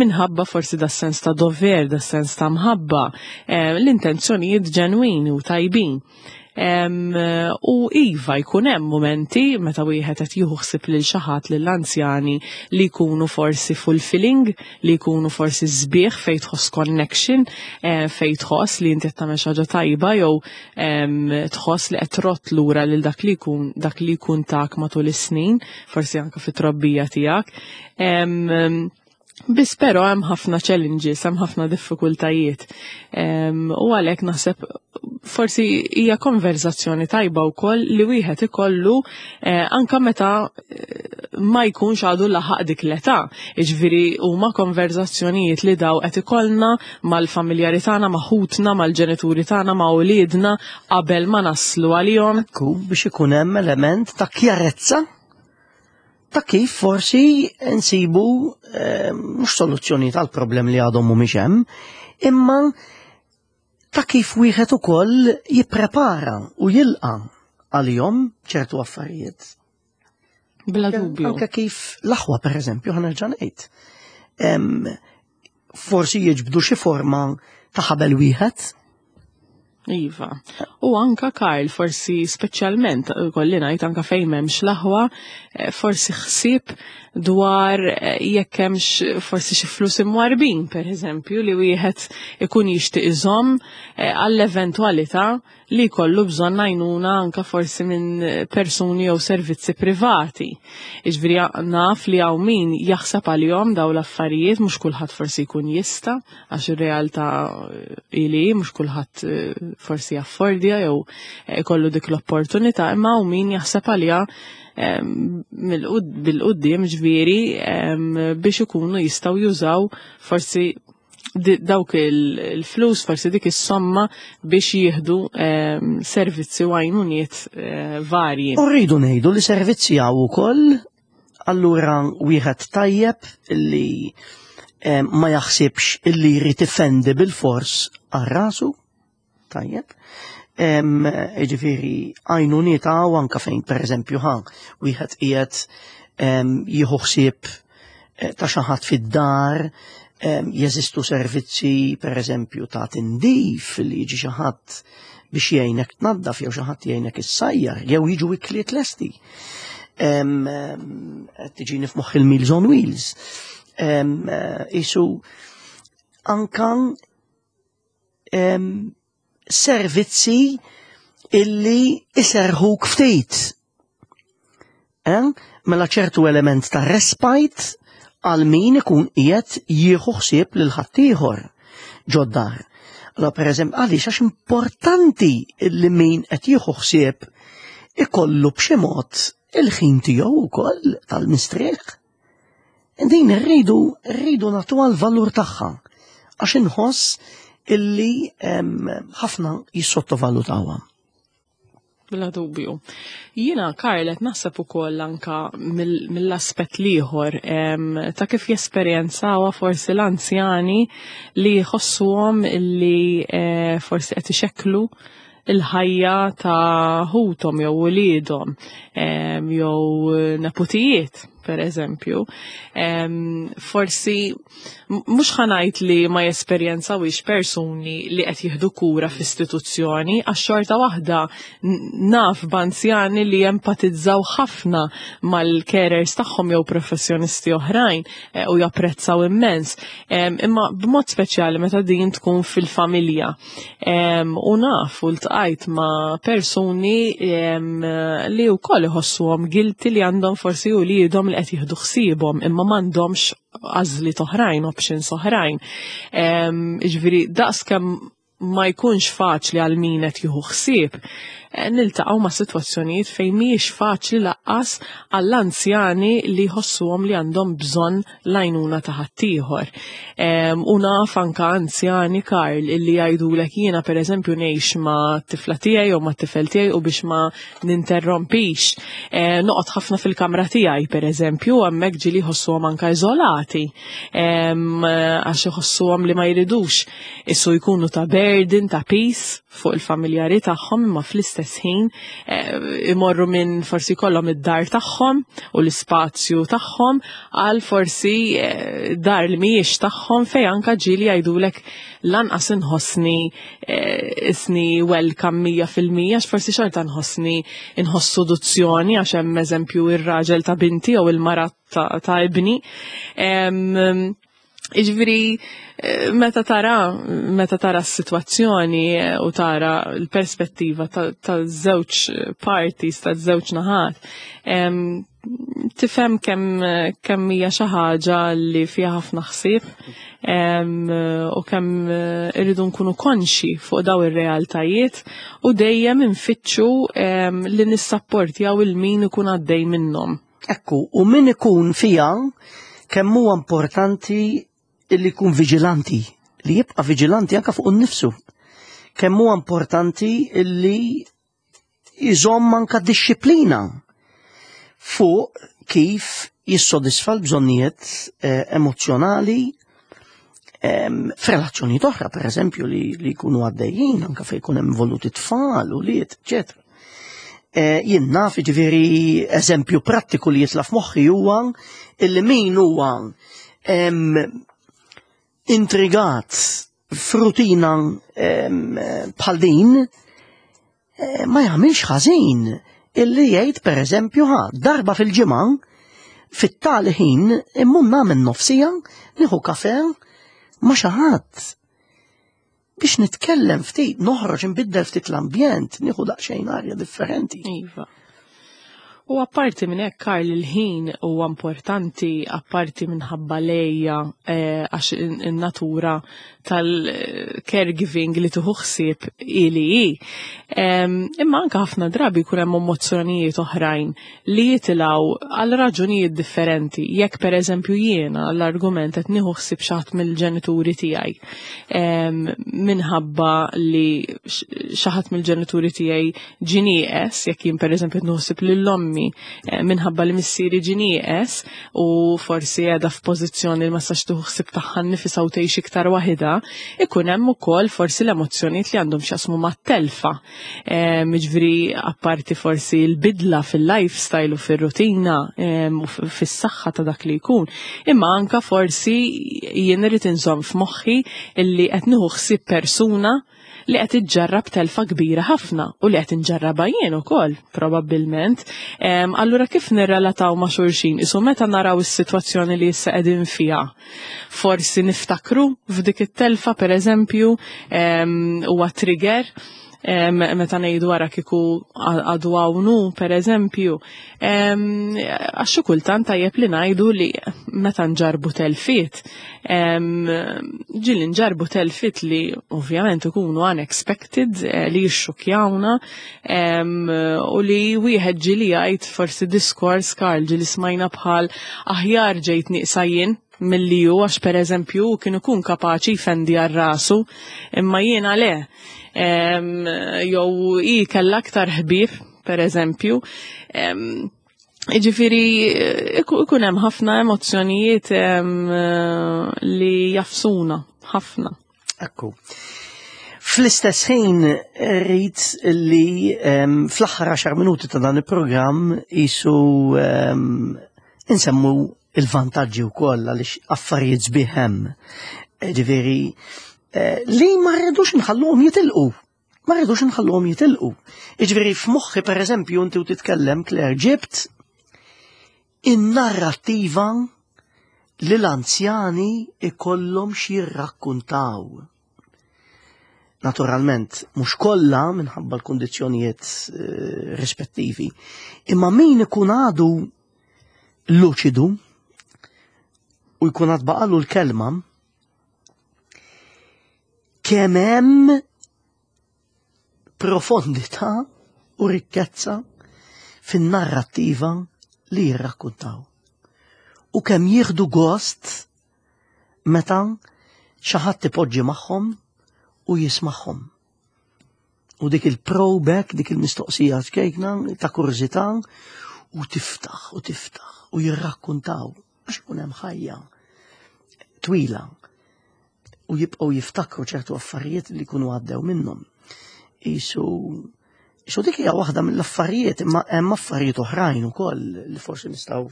minħabba forsi da sens ta' dover, da sens ta' mħabba, l-intenzjonijiet ġenwini u tajbin. U iva jkun hemm momenti meta wieħed qed jieħu ħsieb lil xi ħadd lill-anzjani li jkunu forsi fulfilling, li jkunu forsi sbieħ fejn tħoss connection, eh, fejn tħoss li inti qed tagħmel xi ħaġa tajba jew tħoss li qed trott lura lil dak li jkun dak li jkun tak matul is-snin, forsi anke fit-trobbija tiegħek. Biss però hemm ħafna challenges, hemm ħafna diffikultajiet. U għalhekk naħseb forsi hija konverzazzjoni tajba wkoll li wieħed ikollu eh, anka meta eh, ma jkunx għadu laħaq dik l-età. Jiġifieri huma konverzazzjonijiet li daw qed ikollna mal-familjari tagħna, ma' ħutna, mal-ġenituri tagħna, ma' uliedna qabel ma naslu għalihom. Ekku biex ikun hemm element ta' kjarezza ta' kif forsi nsibu eh, mhux soluzzjoni tal-problem li għadhom mhumiex hemm, imma ta' kif wieħed ukoll jipprepara u jilqa' għalihom ċertu affarijiet. Bla dubju. Anke kif l-aħwa pereżempju ħanerġa' ngħid. Forsi jiġbdu xi forma ta' ħabel wieħed. Iva. U anka Karl, forsi speċjalment, kolli ngħid anka fejn m'hemmx l-aħwa, eh, forsi ħsieb dwar eh, jekk hemmx forsi xi flus imwarbin, per eżempju, li wieħed ikun jixtieq iżomm eh, għall-eventwalità li jkollu bżonn għajnuna anka forsi minn persuni jew servizzi privati. Iġviri naf li hawn min jaħseb għalihom daw l-affarijiet mhux kulħadd forsi jkun jista' għax ir-realtà ili mhux kulħadd eh, forsi jaffordja jew eh, ikollu dik l-opportunità, imma hawn min jaħseb għaliha bil-qudiem ġviri biex ikunu jistgħu jużaw forsi dawk il-flus, forsi dik is-somma biex jieħdu ehm, servizzi u għajnuniet eh, varji. U rridu ngħidu li servizzi hawn ukoll allura wieħed tajjeb illi ehm, ma jaħsibx illi jrid ifendi bil-fors għal rasu. Tajjeb. Ġifieri għajnuniet hawn anke fejn pereżempju ħa wieħed qiegħed jieħu ħsieb ta' xi ħadd fid-dar, jeżistu servizzi pereżempju ta' tindif li jiġi xi ħadd biex jgħinek tnaddaf jew xi ħadd jgħinek issajjar jew jiġu ikliet lesti. Tiġini f'moħħ il-Meals on Wheels. Isu anka servizzi illi iserħuk ftit. Eh? Mela ċertu element ta' respite għal min ikun qiegħed jieħu ħsieb lil ħaddieħor ġod-dar. Allora pereżempju għaliex għax importanti li min qed jieħu ħsieb ikollu b'xi mod il-ħin tiegħu wkoll tal-mistrieħ. Din rridu rridu nagħtuha l-valur tagħha għax inħoss illi ħafna jissottovalutawha. Bla dubju. Jiena, Karl, qed naħseb ukoll anka mill-aspett l-ieħor ta' kif jesperjenzawha forsi l-anzjani li jħossuhom li eh, forsi qed ixekklu il-ħajja ta' ħuthom jew uliedhom jew neputijiet, per eżempju. Forsi mhux ħa ngħid li ma jesperjenzawhiex persuni li qed jieħdu kura f'istituzzjoni, għax xorta waħda naf b'anzjani li jempatizzaw ħafna mal-carers tagħhom jew professjonisti oħrajn eh, u japprezzaw immens. Imma b'mod speċjali meta din tkun fil-familja. U naf u ltqajt ma' persuni li wkoll iħossuhom guilty li għandhom forsi uliedhom li qed jieħdu ħsiebhom imma m'għandhomx għażliet oħrajn, options oħrajn. Jiġifieri daqskemm ma jkunx faċli għal min qed jieħu ħsieb, eh, niltaqgħu ma' sitwazzjonijiet fejn mhijiex faċli laqqas għall-anzjani li jħossuhom li għandhom bżonn l-għajnuna ta' ħaddieħor. U naf anka anzjani Karl illi jgħidulek jiena pereżempju ngħix ma' tifla tiegħi jew ma' tifel tiegħi u biex ma ninterrompix. Eh, noqgħod ħafna fil-kamra tiegħi pereżempju, hemmhekk ġieli jħossuhom anka iżolati għax iħossuhom li ma jridux issu jkunu ta' burden, ta' peace fuq il-familjari tagħhom imma fl-istess ħin eh, imorru minn forsi kollhom id-dar tagħhom u l-ispazju tagħhom għal forsi eh, dar li mhijiex tagħhom fejn anka ġieli jgħidulek lanqas inħossni eh, isni welcome 100% għax forsi xorta nħossni inħoss seduzzjoni għax hemm eżempju ir-raġel ta' binti jew il-mara ta' ibni. Iġviri, eh, meta tara, meta tara s-situazzjoni eh, u tara l-perspettiva ta' żewġ parties, ta' żewġ naħat, tifhem kemm kemm hija xi ħaġa li fiha ħafna ħsieb u kemm eh, irridu nkunu konxi fuq daw ir-realtajiet u dejjem infittxu li nissapportjaw il-min ikun għaddej minnhom. Ekku, u min ikun fija kemm huwa importanti li jkun viġilanti, li jibqa' viġilanti anke fuq innifsu. Kemm huwa importanti li jżomm anka dixxiplina fuq kif jissodisfa l-bżonnijiet eh, emozjonali f'relazzjonijiet oħra, per eżempju, li, li jkunu għaddejjin, anka fejn jkun hemm involuti tfal u liet, eċetera. Eh, jien naf, ġifieri eżempju prattiku li jitla f'moħħi huwa illi min huwa intrigat f'rutina bħal din eh, ma jagħmilx ħażin illi jgħid pereżempju ħa darba fil-ġimgħa fit-tali ħin immur nagħmel nofsija nieħu kafe ma' xi ħadd biex nitkellem ftit, noħroġ nbiddel ftit l-ambjent, nieħu daqsxejn arja differenti. Iva. U apparti minn hekk Karl il-ħin huwa importanti apparti minħabba lejja eh, għax in-natura tal-caregiving li tieħu ħsieb ili hi. Imma anke ħafna drabi jkun hemm emozzjonijiet oħrajn li jitilgħu għal raġunijiet differenti. Jekk pereżempju jiena l-argument qed nieħu ħsieb xi ħadd mill-ġenituri tiegħi minħabba li xi ħadd mill-ġenituri tiegħi ġie nieqes, jekk jien pereżempju qed nieħu ħsieb lil ommi nsemmi eh, minħabba li missieri ġie nieqes u forsi qiegħda f'pożizzjoni li ma sax tieħu ħsieb tagħha nnifisha u tgħix iktar waħidha, ikun hemm ukoll forsi l-emozzjonijiet li għandhom x'jaqsmu mat-telfa. Jiġifieri apparti forsi l-bidla fil-lifestyle u fir-rutina u fis-saħħa ta' dak li jkun, imma anka forsi jien irid inżomm f'moħħi illi qed nieħu ħsieb persuna li qed iġġarrab telfa kbira ħafna u li qed inġarrabha jien ukoll probabbilment. Allura kif nirrelataw ma' xulxin? Isu meta naraw is-sitwazzjoni li issa qegħdin fiha. Forsi niftakru f'dik it-telfa pereżempju huwa trigger meta ngħidu wara kieku għadu hawn per eżempju. Għax xi kultant tajjeb li ngħidu li meta nġarbu telfiet, ġieli nġarbu telfiet li ovvjament ikunu unexpected, eh, li jixxukjawna u li wieħed ġieli jgħid forsi diskors Karl ġieli smajna bħal aħjar ġejt nieqsa jien milli hu għax pereżempju hu kien ikun kapaċi jfendi għal rasu imma jiena le. Jew hi kellha aktar ħbieb pereżempju. Jiġifieri ikun hemm ħafna emozzjonijiet li jafsuna ħafna. Ekku. Fl-istess ħin rrid li fl-aħħar 10 minuti ta' dan il-programm isu insemmu il-vantaġġi wkoll għaliex affarijiet sbieħ hemm. Ġifieri eh, li ma rridux nħalluhom jitilqu. Ma rridux nħalluhom jitilqu. Jiġifieri f'moħħi pereżempju inti u titkellem Claire ġibt in-narrattiva li l-anzjani ikollhom x'jirrakkuntaw. Naturalment, mhux kollha minħabba l-kundizzjonijiet eh, rispettivi, imma min ikun għadu luċidu u jkun għad baqalu l-kelma kemm hemm profondità u rikkezza fin-narrattiva li jirrakkuntaw. U kemm jieħdu gost meta xi ħadd ipoġġi magħhom u jismagħhom. U dik il-probek, dik il-mistoqsija ċkejkna ta' kurżità u tiftaħ u tiftaħ u jirrakkuntaw għax ikun hemm ħajja twila u jibqgħu jiftakru ċertu affarijiet li jkunu għaddew minnhom. Isu Isu dik hija waħda mill-affarijiet, imma hemm affarijiet oħrajn ukoll li forsi nistgħu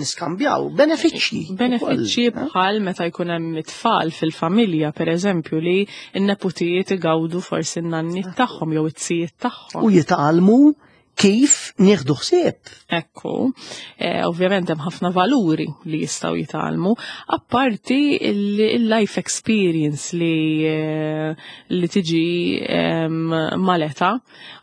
niskambjaw benefiċċji. Benefiċċji eh? bħal meta jkun hemm it-tfal fil-familja, pereżempju, li n-neputijiet igawdu forsi n-nanniet tagħhom jew it-tzijiet tagħhom. U jitgħallmu kif nieħdu ħsieb. Ekku, eh, ovvjament hemm ħafna valuri li jistgħu jitgħallmu, apparti il-life experience li, eh, li tiġi mal-età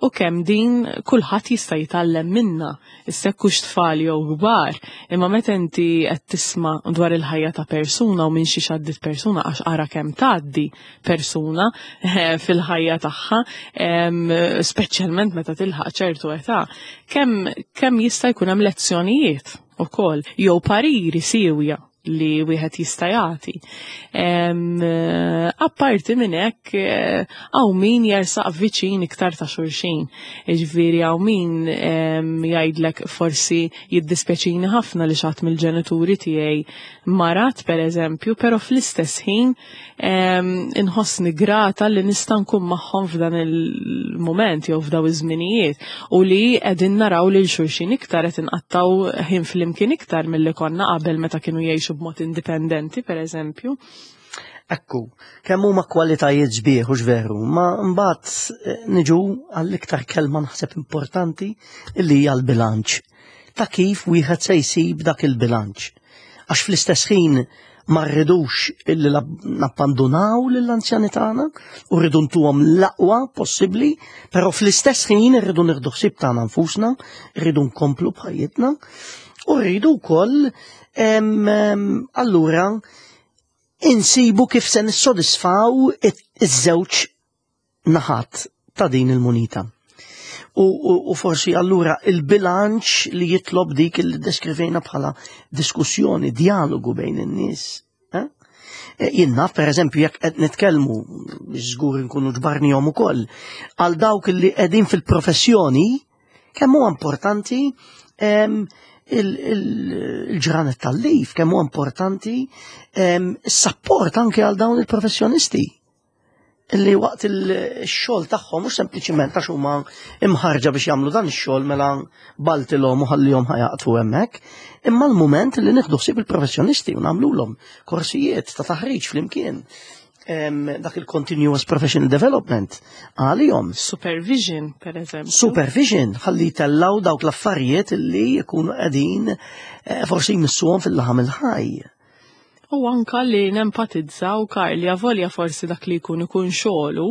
u kemm din kulħadd jista' jitgħallem minna, issa jekk hux tfal jew kbar, imma meta inti qed tisma' dwar il-ħajja ta' persuna u minn xiex għaddiet persuna għax ara kemm tgħaddi persuna eh, fil-ħajja tagħha, speċjalment meta tilħaq ċertu età, kemm kemm jista' jkun hemm lezzjonijiet ukoll jew pariri siewja li wieħed jista' jagħti. Eh, apparti minn hekk eh, hawn min jersaq viċin iktar ta' xulxin. Jiġifieri hawn min jgħidlek forsi jiddispjaċini ħafna li xatt mill-ġenituri tiegħi marat pereżempju, però fl-istess ħin inħossni grata li nista' nkun magħhom f'dan il-mument jew f'daw iż-żminijiet u li qegħdin naraw lil xulxin iktar qed inqattaw ħin flimkien iktar milli konna qabel meta kienu jgħixu b'mod indipendenti pereżempju. Ekku, kemm huma kwalitajiet sbieħ u veru, ma mbagħad eh, niġu għall-iktar kelma naħseb importanti li hija l-bilanċ. Ta' kif wieħed se jsib dak il-bilanċ. Għax fl-istess ħin ma rridux illi nappandunaw lill-anzjani tagħna u rridu ntuhom l-aqwa possibbli, però fl-istess ħin irridu nieħdu ħsieb tagħna nfusna, rridu nkomplu b'ħajjitna u rridu wkoll allura insibu kif se nissodisfaw iż-żewġ naħat ta' din il-munita. U, u, u forsi allura il-bilanċ li jitlob dik li deskrivejna bħala diskussjoni, dialogu bejn in-nies. Eh? eh jien naf, per eżempju, jekk qed nitkellmu, żgur nkunu ġbarnihom ukoll, għal dawk li qegħdin fil-professjoni, Kemm huwa importanti il-ġranet tal-lif, kemm huwa importanti is-sapport anke għal dawn il-professjonisti li waqt il-xogħol tagħhom mhux sempliċiment għax huma imħarġa biex jagħmlu dan ix-xogħol mela baltilhom u ħallihom ħajaqtfu hemmhekk, imma l-mument li nieħdu ħsieb il-professjonisti u nagħmlulhom korsijiet ta' taħriġ flimkien. Dak il-continuous professional development għalihom. Supervision, per eżempju. Supervision, ħalli tellaw dawk l-affarijiet li jkunu qegħdin eh, forsi jmissuhom fil-laħam il-ħaj. U anka li nempatizzaw Karli avolja forsi dak li jkun ikun xogħlu,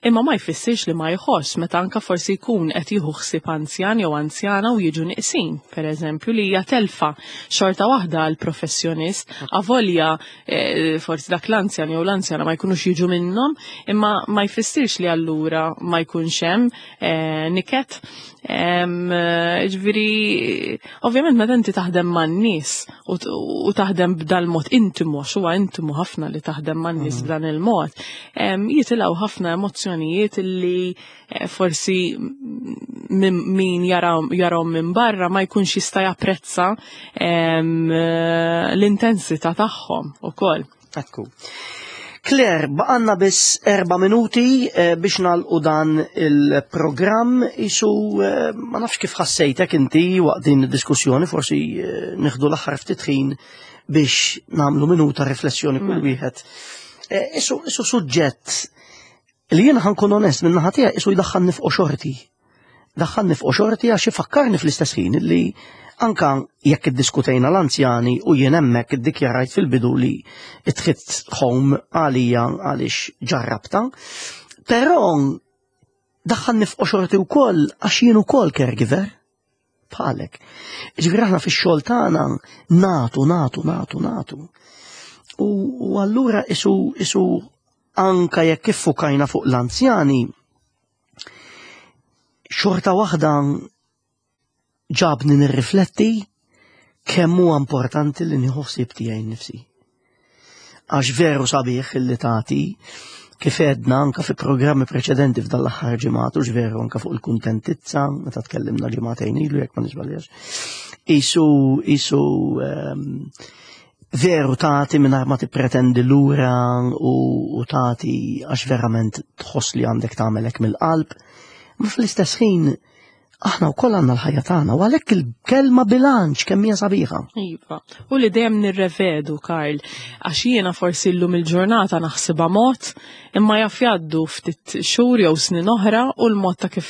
imma ma jfissirx li ma jħoss meta anka forsi jkun qed jieħu ħsieb anzjan jew anzjana u jiġu niqsin, pereżempju li hija telfa xorta waħda għal professjonist, avolja eh, forsi dak l-anzjan jew l-anzjana ma jkunux jiġu minnhom, imma ma jfissirx li allura ma jkunx hemm eh, niket. Eh, ġifieri, ovvjament meta inti taħdem man-nies u taħdem b'dal-mod intimu, għax huwa intimu ħafna li taħdem man-nies mm. b'dan il-mod, jitilgħu ħafna emozzjonijiet li eh, forsi min jarahom minn barra ma jkunx jista' japprezza eh, l-intensità tagħhom ukoll. Ekku. Claire, baqanna biss erba minuti eh, biex nalqu dan il-programm isu eh, ma nafx kif ħassejtek inti waqt din id-diskussjoni, forsi eh, nieħdu l-aħħar ftit ħin biex nagħmlu minuta riflessjoni kull mela. wieħed. Isu isu suġġett Li jiena ħankun onest minn naħa tiegħi isu jdaħħalni f'qoxorti. Daħħalni f'qoxorti għax ifakkarni fl-istess ħin li anka jekk iddiskutejna l-anzjani u jien hemmhekk iddikjarajt fil-bidu li it hit home għalija għaliex ġarrabta. Però daħħalni f'qoxorti wkoll għax jien ukoll caregiver bħalek. Ġifieri aħna fix-xogħol tagħna natu, natu, natu, natu. U allura isu isu anka jekk iffukajna fuq l-anzjani, xorta waħda ġabni nirrifletti kemm huwa importanti li nieħu ħsieb tiegħi nnifsi. Għax veru sabiħ li tagħti kif edna anka fi programmi preċedenti f'dan l-aħħar ġimgħat u veru anka fuq il-kuntentizza meta tkellimna ġimgħatejn ilu jekk ma niżbaljax. Isu isu um, veru tagħti mingħajr ma tippretendi lura u, u tagħti għax verament tħoss li għandek tagħmel hekk mill-qalb. Ma fl-istess ħin aħna wkoll għandna l-ħajja tagħna u għalhekk il-kelma bilanċ kemm hija sabiħa. Iva. U li dejjem nirrevedu, Karl, għax jiena forsi llum il-ġurnata naħsibha mod, imma jaf jgħaddu ftit xhur jew snin oħra u l-mod ta' kif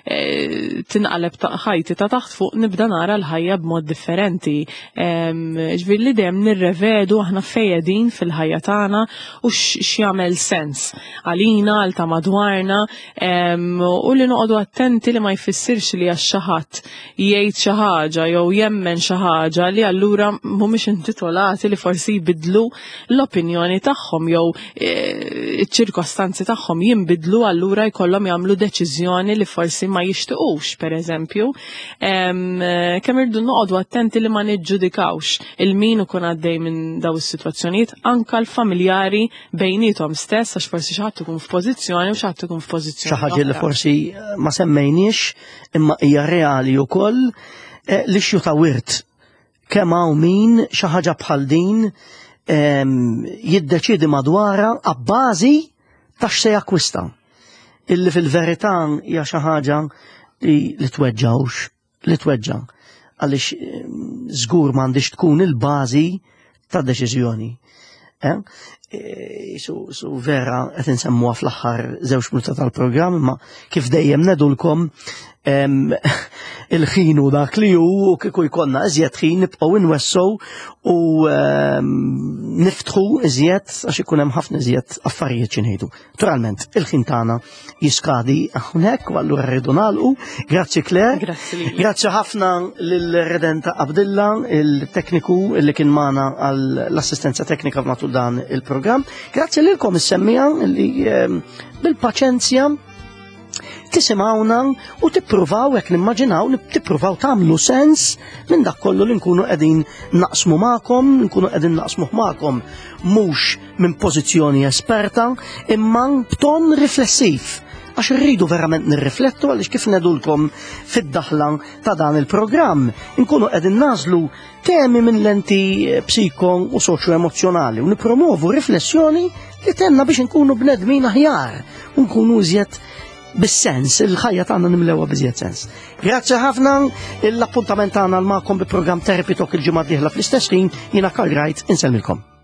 eh, tinqaleb ta' ħajti ta' taħt fuq nibda nara l-ħajja b'mod differenti. Ġifieri li dejjem nirrevedu aħna fejedin fil-ħajja tagħna u x'jagħmel sens għalina, għal ta' madwarna, u li noqogħdu attenti li ma jfissirx li għax xi ħadd jgħid xi ħaġa jew jemmen xi ħaġa li allura mhumiex intitolati li forsi jbidlu l-opinjoni tagħhom jew e, iċ-ċirkostanzi tagħhom jinbidlu allura jkollhom jagħmlu deċiżjoni li forsi ma jixtiqux, pereżempju. Kemm irdu noqogħdu attenti li ma niġġudikawx il-min ikun għaddej minn daw is-sitwazzjonijiet anka l-familjari bejnietom stess għax forsi xi ħadd ikun f'pożizzjoni u xi ħadd ikun f'pożizzjoni. Xi ħaġa li forsi eh, ma semmejniex imma hija reali wkoll eh, li xju ta' wirt kemm hawn min xi ħaġa bħal din ehm, jiddeċiedi madwarha abbażi ta' x'se jakkwista. Illi fil-verità hija xi ħaġa li li tweġġawx li tweġġa' għaliex ehm, żgur m'għandix tkun il-bażi ta' deċiżjoni. Eh? E, su, su vera qed insemmuha fl-aħħar żewġ minuta tal-programm, imma kif dejjem nedulkom ehm, il-ħin u dak li hu u kieku jkollna iżjed ħin nibqgħu inwessow u ehm, niftħu iżjed għax ikun hemm ħafna iżjed affarijiet xi ngħidu. Naturalment, il-ħin tagħna jiskadi hawnhekk u allura rridu nagħlqu. Grazzi Claire. Grazzi. Grazzi ħafna lil Redenta Abdilla, il-tekniku li kien magħna għall-assistenza teknika matul dan il-programm. Grazzi lilkom is-semmija li ehm, bil-paċenzja tisimgħuna u tippruvaw hekk nimmaġinaw li tippruvaw tagħmlu sens minn dak kollu li nkunu qegħdin naqsmu magħkom, nkunu qegħdin naqsmuh magħkom mhux minn pożizzjoni esperta imma b'ton riflessiv. Għax irridu verament nirriflettu għaliex kif nedulkom fid-daħla ta' dan il-programm, inkunu qegħdin nażlu temi minn lenti eh, psiko u soċjo-emozzjonali u nipromovu riflessjoni li tenna biex nkunu bnedmin aħjar u nkunu iżjed bis-sens, il-ħajja tagħna nimlewha biżjed sens. Grazzi ħafna l-appuntament tagħna l magħkom bi programm Therapy Talk il-ġimgħa d-dieħla fl-istess ħin jiena Karl Wright insellmilkom.